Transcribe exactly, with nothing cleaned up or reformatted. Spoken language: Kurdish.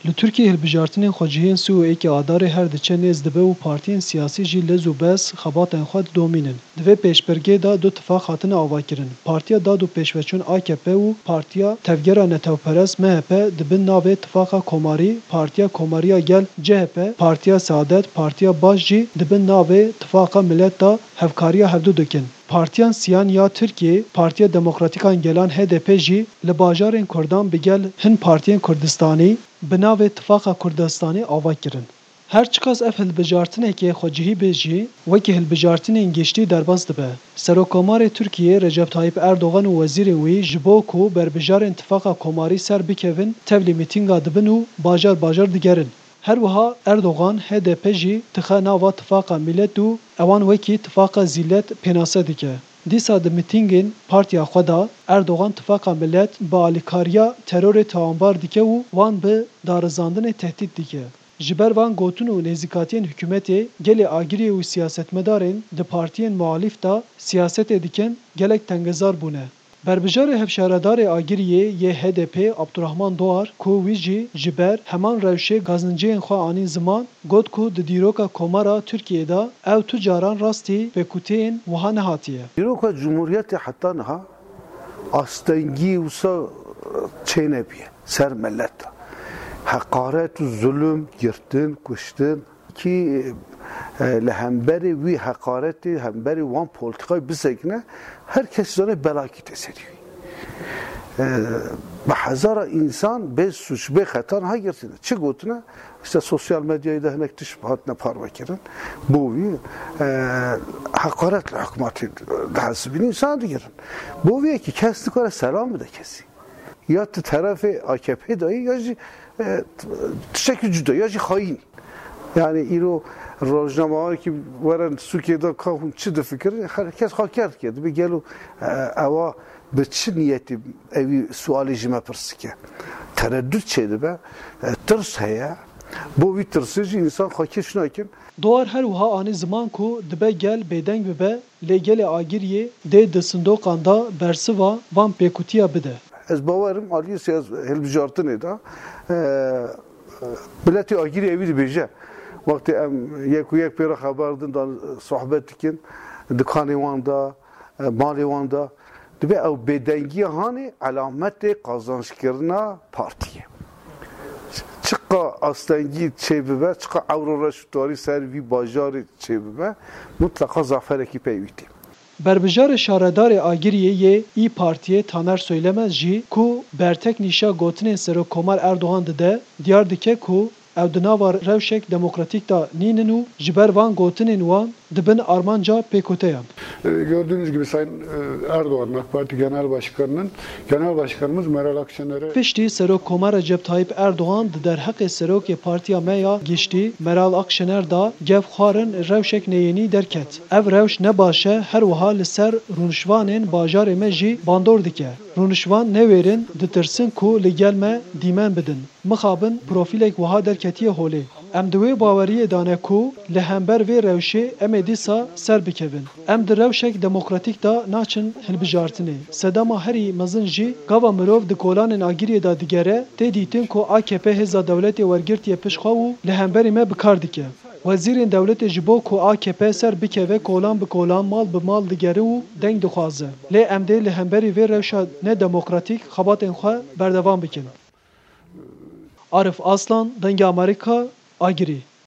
Li Tirkiyeyê hilbijartinên xwecihiyên sî û yekê Adarê her diçe nêz dibe û partiyên siyasî jî lez û bez xebatên xwe didomînin. Di vê pêşbirgê de du tifaq hatine avakirin. Partiya Dad û Pêşveçûn A K P û Partiya Tevgera Netewperest M H P di bin navê Tifaqa Komarî, Partiya Komariya Gel C H P, Partiya Saadet, Partiya Baş jî di bin navê Tifaqa Milet de hevkariya hevdu dikin. Partiyan siyan ya Tirkiyê, Partiya Demokratîkan Gelan H D P jî li bajarên Kurdan bi gel hin partiyên Kurdistanî bi navê Tifaqa Kurdistanî ava kirin. Her çiqas ev hilbijartinekê xwecihî be jî, wekî hilbijartinên giştî derbas dibe. Serokkomarê Tirkiyê Recep Tayyip Erdogan û wezîrên wî ji bo ku berbijarên Tifaqa Komarî ser bikevin, tevlî mîtînga dibin û bajar bajar digerin. Her wiha Erdogan H D P jî dixe nava Tifaqa Milet û ewan wekî Tifaqa Zîlet pênase dike. Dîsa di mîtîngên partiya xwe de Erdogan Tifaqa Milet bi alîkariya terorê tawanbar dike û wan bi darizandinê tehdît dike. Ji ber van gotin û nêzîkatiyên hikûmetê, gelê Agiriyê û siyasetmedarên di partiyên muhalîf de siyasetê dikin gelek tengezar bûne. Berbijarê hevşaredarê Agiriyê yê H D P Abdurrahman Doğar, ku wî jî ji ber heman rewşê gazinciyên xwe anîn ziman, got ku di dîroka Komara Tirkiyê de ew tu caran rastî pêkutiyên wiha nehatiye. Dîroka Cumhuriyetê heta niha astengî wisa çênebûye ser milet. Heqaret û zulm, girtin, kuştin. Kî, e, li hemberî wî heqaretê, hemberî wan polîtîkayê bisekine, her kes zane belakî tê serî wî. E, bi hezara însan bê sûc, bê xeta niha girtine. Çi gotine? Îşte sosyal medyayê de hinek tişt hatine parvekirin. Bo wî, e, heqaret li hikûmetê dihesibînin, însan digirin. Bo wî yekî kes nikare selam bide kesî. Ya tu terefê A K P de yî, ya jî, e, tiştekî cuda, ya jî xayîn. Yani îro rojnamewarkî were sûkê de ka hûn çi difikirin, her kes xwe ker dike. Dibê gelo, e, ewa bi çi niyetî ewî sualê ji me pirs dike? Tereddut çêdibe, e, tirs heye. Bo vî tirsê jî însan xwe kêş nakin. Doğar her wiha anî ziman ku dibe gel bêdeng bibe, lê gelê Agiriyê dê di sindoqan de bersiva van pêkutiya bide. Ez bawer im aliyê siyas-, hilbijartinê de, e, miletê Agiriyê ewî dibêje. Wextê em yek û yek pê re xeber din, dan sohbet dikin, dikanê wan de, e, malê wan de, dibe ew bêdengiya hanê elametê qazançkirina partiyê. Çiqa astengî çêbibe, çiqa ewro reş û tarî ser vî bajarê çêbibe, mutleqa zaferekî pey wî tê. Berbijarê şaredarê Agiriyê yê İYİ Partiyê Taner Söylemez jî ku bertek nîşa gotinên Serokkomar Erdogan dide, diyar dike ku ew di nava rewşek demokratîk de nînin û ji ber van gotinên wan di bin armanca pêkuteyan. E, gördüğünüz gibi Sayın, e, Erdoğan'ın, AK Parti Genel Başkanı'nın, Genel Başkanımız Meral Akşener'e Piştî Serokkomar Recep Tayyip Erdogan di derheqê Serokê Partiya me ya Giştî Meral Akşener de gef xwarin rewşek neyênî derket. Ev rewş ne baş e, her wiha li ser rûnişvanên bajarê me jî bandor dike. Rûnişvan newêrin, ditirsin ku li gel me dîmen bidin. Mixabin profîlek wiha derketiye holê. Em di wê baweriyê de ne ku li hember vê rewşê em ê dîsa ser bikevin. Em di rewşek demokratîk de naçin hilbijartinê. Sedema herî mezin jî gava mirov di kolanên Agiriyê de digere, tê dîtin ku A K P hêza dewletê wergirtiye pişt xwe û li hemberî me bi kar dike. Wezîrên dewletê ji bo ku A K P ser bikeve kolan bi kolan, mal bi mal digere û deng dixwaze. Lê em dê li hemberî vê rewşa nedemokratîk xebatên xwe berdewam bikin. Arif Aslan, Dengê Amerîka, Agirî.